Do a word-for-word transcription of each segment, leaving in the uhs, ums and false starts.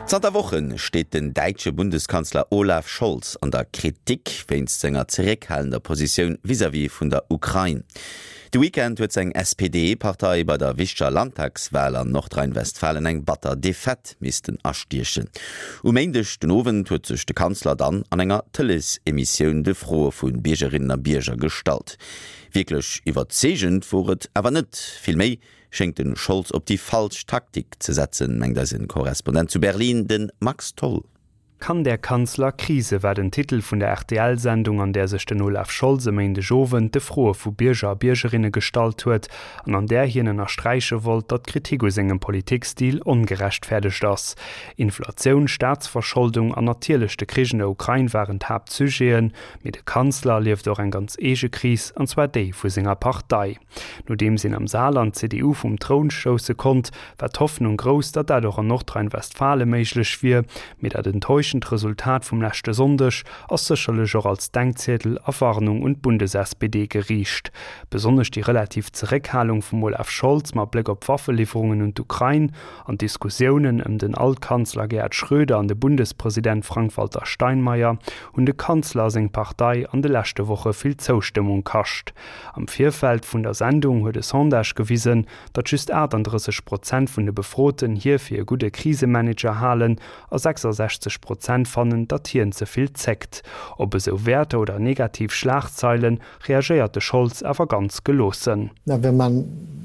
Zanter Woche steet den däitsche Bundeskanzler Olaf Scholz an der Kritik wéinst senger zeréckhalender Positioun vis-à-vis vun der Ukrain. De Weekend huet seng SPD-Partei bei der wichteger Landtagswal an Nordrhein-Westfalen eng batter Defaite missten astiechen. Um Méindeg den Owend huet sech de Kanzler dann an enger Tëleesemissioun de Froe vu Biergerinnen a Bierger gestallt. Wierklech iwwerzeegend wor et awer net, vill méi schéngt de Scholz op déi falsch Taktik ze setzen, mengt eise Korrespondent zu Berlin, de Max Tholl. Kann der Kanzler Krise war den Titel vun der RTL-Sendung, an där sech den Olaf Scholz e Méindegowend de Froe vu Bierger a Biergerinne gestallt huet an an där hien ënnersträiche wollt, datt d'Kritik u sengem Politikstil ongerechtfäerdegt ass. Inflatioun, Staatsverscholdung an natierlech de Krich an der Ukrain waren d'Haaptsujeten, mee de Kanzler erlieft och eng ganz eege Kris, an zwar déi vu senger Partei. Nodeems een am Saarland d'CDU vum Troun stousse konnt, war d'Hoffnung grouss, datt dat och an Nordrhein-Westfale méiglech wier, mee dat enttäuschend Resultat vum leschte Sonndeg ass sécherlech och als Denkziedel a Warnung un d'Bundes-SPD geriicht. Besonnesch déi relativ Zeréckhalung vum Olaf Scholz mat Bléck op Waffeliwwerungen un d'Ukrain an d'Diskussiounen ëm den Altkanzler Gerhard Schröder an de Bundespresident Frank-Walter Steinmeier hunn de Kanzler a seng Partei an de leschte Woche vill Zoustëmmung kascht. Am Virfeld vun der Sendung huet e Sondage gewisen, datt just achtandrësseg Prozent vun de Befroten hie fir e gudde Krisemanager halen a sechsasechzeg Prozent fannen, datt hien ze vill zéckt. Op esou Wäerter oder negativ Schlagzeile reagéiert de Scholz awer ganz geloossen. Na, wenn man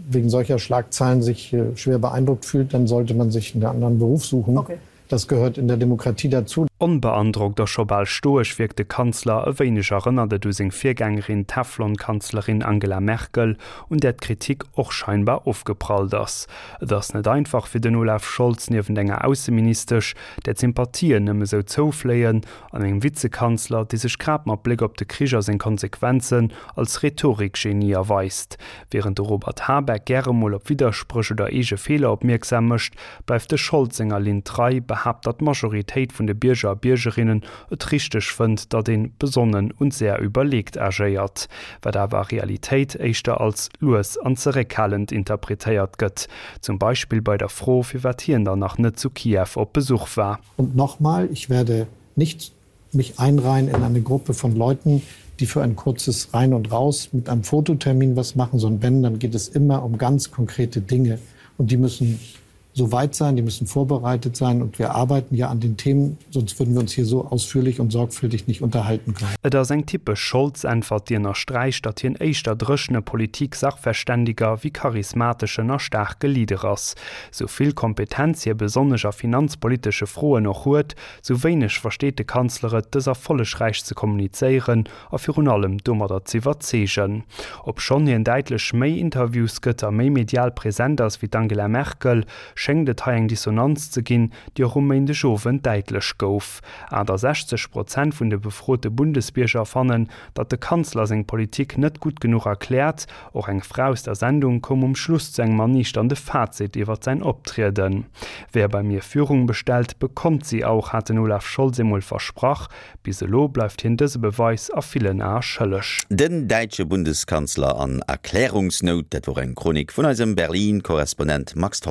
wegen solcher Schlagzeilen sich schwer beeindruckt fühlt, dann sollte man sich einen anderen Beruf suchen. Okay. Das gehört in der Demokratie dazu. Onbeandrockt a scho bal stoesch wierkt de Kanzler, e wéineg erënnert et u seng Virgängerin, d'Teflon-Kanzlerin Angela Merkel, un där d'Kritik och scheinbar ofgeprallt ass. Et ass net einfach fir den Olaf Scholz, niewent enger Ausseministesch, där d'Sympathien nëmme sou zoufléien, an engem Vizekanzler, dee sech grad mat Bléck op de Krich a seng Konsequenzen als Rhetorik-Genie erweist. Wärend de Robert Habeck gäre mol op Widderspréch oder eege Feeler opmierksam mécht, bleift de Scholz senger Linn trei, behaapt, datt d'Majoritéit vun de Bierger a Biergerinnen et richteg fënnt, datt een besonnen und sehr überlegt agéiert, wat awer a Realitéit éischter als lues an zeréckhalend interpretéiert gëtt, zum Beispill bei der Fro, firwat hien dann nach net zu Kiew op Besuch war. Und nochmal, ich werde nicht mich einreihen in eine Gruppe von Leuten, die für ein kurzes Rein und Raus mit einem Fototermin was machen, sondern wenn, dann geht es immer um ganz konkrete Dinge. Und die müssen so weit sein, die müssen vorbereitet sein und wir arbeiten ja an den Themen, sonst würden wir uns hier so ausführlich und sorgfältig nicht unterhalten können. Et ass eng typesch Scholz-Äntwert, déi ënnersträicht, datt hien éischter dréchene Politik-Sachverständiger wéi charismateschen a staarke Leader ass. Sou vill Kompetenz hie besonnesch a finanzpolitesche Froen och huet, sou wéineg versteet de Kanzler et, dës erfollegräich ze kommunizéieren a virun allem domadder z'iwwerzeegen. Obschonn hien däitlech méi Interviews gëtt a méi medial present ass wéi d'Angela Merkel, schéngt et hei eng Dissonanz ze ginn, déi och um Méindegowend däitlech gouf. Achttasechzeg Prozent vun de befrote Bundesbierger fannen, datt de Kanzler seng Politik net gutt genuch erkläert. Och eng Fra aus der Sendung koum um Schluss zu engem erniichternde Fazit iwwer säin Optrieden. Wer bei mir Führung bestellt, bekommt sie auch, hat den Olaf Scholz emol versprach. Bis elo bleift hien dëse Beweis a villen Ae schëlleg. Den däitsche Bundeskanzler an Erklärungsnout, dat wor eng Chronik vun eisem Berlin-Korrespondent Max Tholl.